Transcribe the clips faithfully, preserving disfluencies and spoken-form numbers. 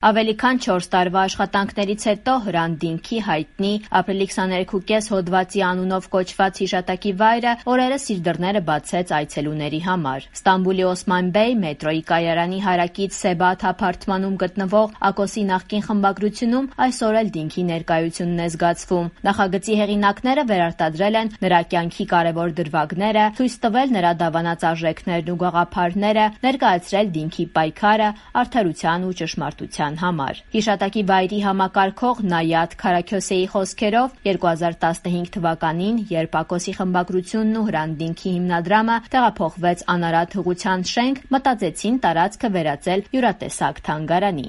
Ավելի քան չորս տարվա աշխատանքներից հետո Հրանտ Դինքի հայտնի ապրիլի քսաներեքուկես հոդվածի անունով կոչված հիշատակի վայրը օրերս իր դռները բացեց այցելուների համար։ Ստամբուլի Օսման Բեյ մետրոյի կայարանի հարակից Սեբաթ ապարտմանում գտնվող Ակոսի նախկին խմբագրությունում այսօր էլ Դինքի ներկայությունն է զգացվում։ Նախագծի հեղինակները վերարտադրել են նրա կյանքի կարևոր դրվագները, ցույց տվել նրա դավանած արժեքներն ու գաղափարները, ներկայացրել Դինքի պայքարը արդարության ու ճշմարտության համար։ Հիշատակի վայրի համակարգող Նայաթ Քարաքյոսեի խոսքերով երկու հազար տասնհինգ թվականին, երբ Ակոսի խմբագրությունն ու Հրանտ Դինքի հիմնադրամը տեղափոխվեց Անարատ հղության շենք, մտածեցին տարածքը վերածել հյուրատեսակ թանգարանի։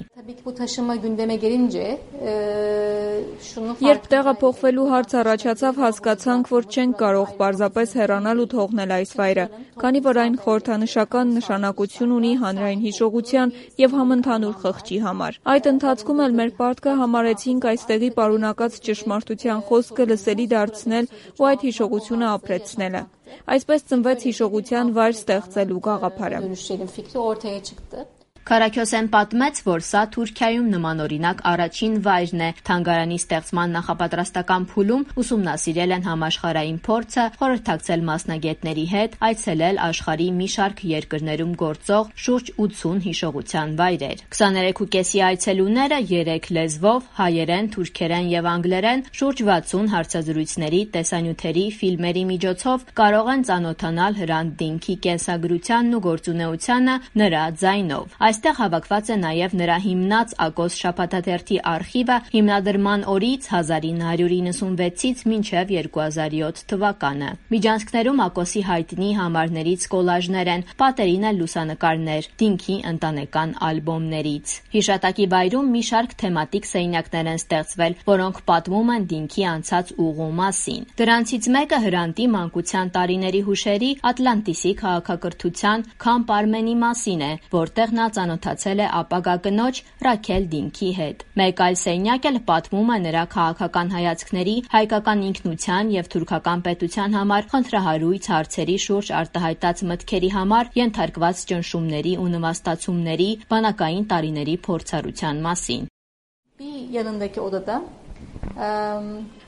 Երբ տեղափոխվելու հարց առաջացավ, հասկացանք, որ չենք կարող պարզապես հեռանալ ու թողնել այս վայրը, քանի որ այն խորհրդանշական նշանակություն ունի հանրային հիշողության եւ համընդհանուր խղճի համար։ Այդ ընթացքում էլ մեր պարտքը համարեցինք այստեղի պարունակած ճշմարտության խոսքը լսելի դարձնել ու այդ հիշողությունը ապրեցնելը։ Այսպես ծնվեց հիշողության վայր ստեղծելու գաղափարը։ Քարաքյոսեն պատմեց, որ սա Թուրքիայում նմանօրինակ առաջին վայրն է։ Թանգարանի ստեղծման նախապատրաստական փուլում ուսումնասիրել են համաշխարհային փորձը, խորհրդակցել մասնագետների հետ, այցելել աշխարհի մի շարք երկրներում գործող շուրջ ութսուն հիշողության վայրեր։ քսաներեքուկեսի այցելուները երեք լեզվով՝ հայերեն, թուրքերեն եւ անգլերեն, շուրջ վաթսուն հարցազրույցների, տեսանյութերի, ֆիլմերի միջոցով կարող են ծանոթանալ Հրանտ Դինքի կենսագրությանն ու գործունեությանը նրա ձայնով։ Այստեղ հավաքված է նաև նրա հիմնած Ակոս շաբաթաթերթի արխիվը հիմնադրման օրից հազար ինը հարյուր իննսունվեցից մինչև երկու հազար յոթ թվականը։ Միջանցքներում Ակոսի հայտնի համարներից կոլաժներ են, պատերին էլ լուսանկարներ Դինքի ընտանեկան ալբոմներից։ Հիշատակի վայրում մի շարք թեմատիկ սենյակներ են ստեղծվել, որոնք պատմում են Դինքի անցած ուղու մասին։ Դրանցից մեկը Հրանտի մանկության տարիների հուշերի Ատլանտիսի քաղաքակրթության Քամփ Արմենի մասին է, որտեղ նա ծանոթացել է ապագա կնոջ Ռաքել Դինքի հետ։ Մեկ այլ սենյակ էլ պատմում է նրա քաղաքական հայացքների, հայկական ինքնության եւ թուրքական պետության համար խնդրահարույց հարցերի շուրջ արտահայտած մտքերի համար ենթարկված ճնշումների ու նվաստացումների, բանակային տարիների փորձառության մասին։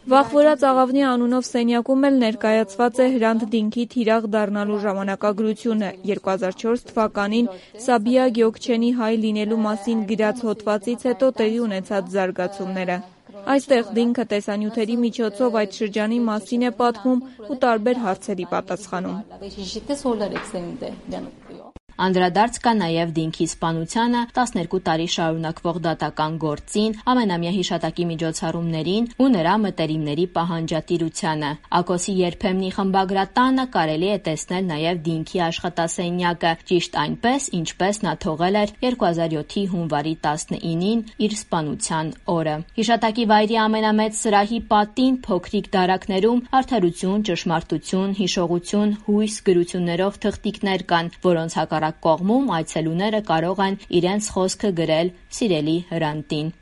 Վախվորած աղավնի անունով սենյակում էլ ներկայացված է Հրանտ Դինքի թիրախ դառնալու ժամանակագրությունը, երկու հազար չորս թվականին Սաբիա Գյոքչենի հայ լինելու մասին գրած հոդվածից հետո տեղի ունեցած զարգացումները։ Այստեղ Դինքը տեսանյութերի միջոցով այդ շրջանի մասին է պատմում ու տարբեր հարցերի պատասխանում։ Անդրադարձ կա նաև Դինքի սպանությանը, տասներկու տարի շարունակվող դատական գործին, ամենամյա հիշատակի միջոցառումներին ու նրա մտերիմների պահանջատիրությանը։ Ակոսի երբեմնի խմբագրատանը կարելի է տեսնել նաև Դինքի աշխատասենյակը, ճիշտ այնպես, ինչպես նա թողել էր երկու հազար յոթի հունվարի տասնինին իր սպանության օրը։ Հիշատակի վայրի ամենամեծ սրահի պատին փոքրիկ դարակներում արդարություն, ճշմարտություն, հիշողություն, հույս գրություններով թղթիկներ կան, որոնց հակառակ կողմում այցելուները կարող են իրենց խոսքը գրել սիրելի Հրանտին։